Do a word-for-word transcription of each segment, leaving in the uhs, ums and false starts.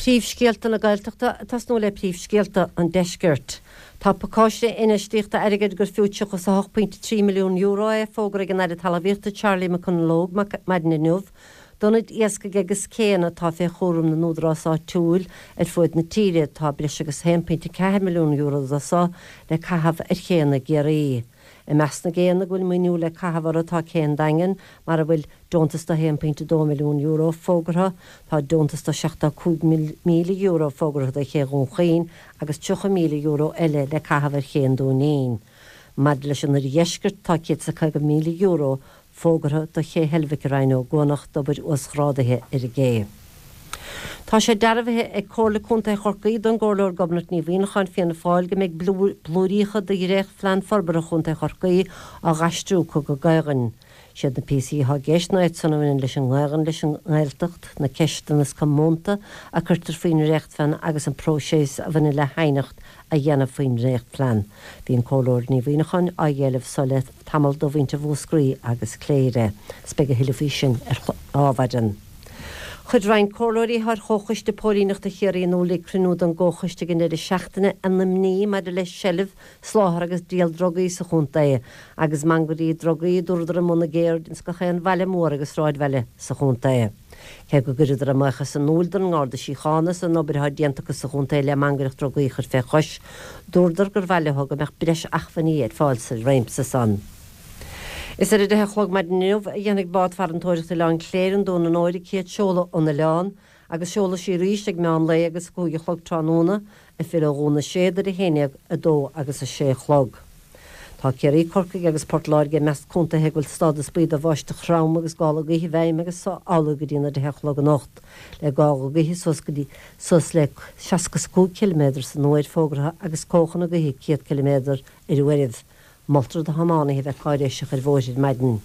Príomhscéalta na Gaeltachta ag tosnú le príomhscéalta an deiscirt. Tá pacáiste infheistíochta airgid gur fiú tríocha a hocht pointe trí milliún euro é fógartha ag an Aire Talmhaíochta Charlie McConalogue maidin inniu, d'ionaid iascaigh agus céanna atá fé chúram na n-údarás áitiúil ar fud na tíre tá breis agus haon pointe ceathair milliún euro de so le caitheamh ar chéanna i gCiarraí. I measc na gcéanna go bhfuil maoiniú le caitheamh orthu tá Cé an Daingin mar a bhfuil deontas de haon pointe dó milliún euro fógartha, tá deontas de seachtó cúig míle euro fógartha do Ché Dhún Chaoin agus tríocha míle euro eile le caitheamh ar Ché an Dúinín. Maidir leis an oirdheisceart tá céad is caoga míle euro fógartha do Ché Heilbhic i Rinn Ó gCuanach d'obair uasghrádaithe ar an gcé. Tá sé dearbhaithe ag Comhairle Contae Chorcaí don gComhairleoir Gobnait Ní Mhuineacháin Fianna Fáil go mbeidh blúiríocha de dhréachtphlean forbartha Chontae Chorcaí á dh'aistriú chuig an Gaelainn. Siad na píosaí atá i gceist ná iad san a bhaineann leis an nGaelainn, leis an nGaeltacht, na ceisteanna is comónta a cuirtear faoin ndréachtphlean agus an próiseas a bhaineann le haighneacht a dhéanamh faoin ndréachtphlean. Bhí an Comhairleoir Ní Mhuineacháin á éileamh so le tamall do mhuintir Mhúscraí agus Cléire. 'S beidh a thuilleadh faoi sin ar Adhmhaidin. Chuir roinnt comhairleoirí ar Chomhchoiste Póilíneachta Chiarraí in iúl ag cruinniú den gComhchoiste ag an deireadh seachtaine a n-imní maidir le seilbh, soláthar agus díol drugaí sa chontae agus mangairí drugaí a dúradar i mbun a gceirde ins gach aon bhaile mór agus sráidbhaile sa chontae. Cé go gcuireadar a mbuíochas in iúl don nGarda Síochána as an obair atá déanta acu sa chontae le mangaireacht drugaí a chur fé chois, dúradar gur mhaith leo go mbeadh breis acmhainní ar fáil sa réimse san. Is ar a deich a chlog maidin inniu a dhéanfaidh bád farantóireachta Oileán Cléire an Dún an Óir a céad seoladh ón oileán, agus seolfaidh sí arís ag meán lae agus a cúig a chlog tráthnóna, ag filleadh ó Dhún na Séad ar a haon déag, a dó agus a sé a chlog. Tá Ciarraí, Corcaigh agus Port Láirge i measc contaetha go bhfuil stádas buí do bháisteach throm agus gála gaoithe i bhfeidhm agus so amhlaidh go dtí na deich a chlog anocht, le gála gaoithe suas go dtí suas le seasca is a cúig ciliméadar san uair fógartha agus cóchanna gaoithe céad ciliméadar ar uairibh. Moltar do thiománaithe bheith cáiréiseach ar bhóithre ar maidin.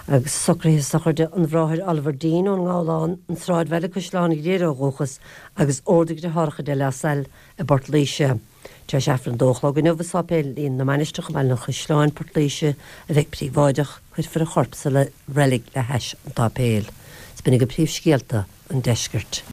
Agus socruithe sochraide an Bhráthair Oliver Dean ón nGabhlán, an Sráidbhaile, Caisleán Ghriaire ó dhúchas agus Ord a Dheartháireacha de La Salle i bPort Laoise. Tar éis Aifreann a dó a chlog inniu i Sáipéilín na Mainistreach i mBaile an Chaisleáin, Port Laoise, a bheidh príobháideach, cuirfear a chorp sa reilig le hais an tsáipéil. 'S b'in agaibh príomhscéalta an deiscirt.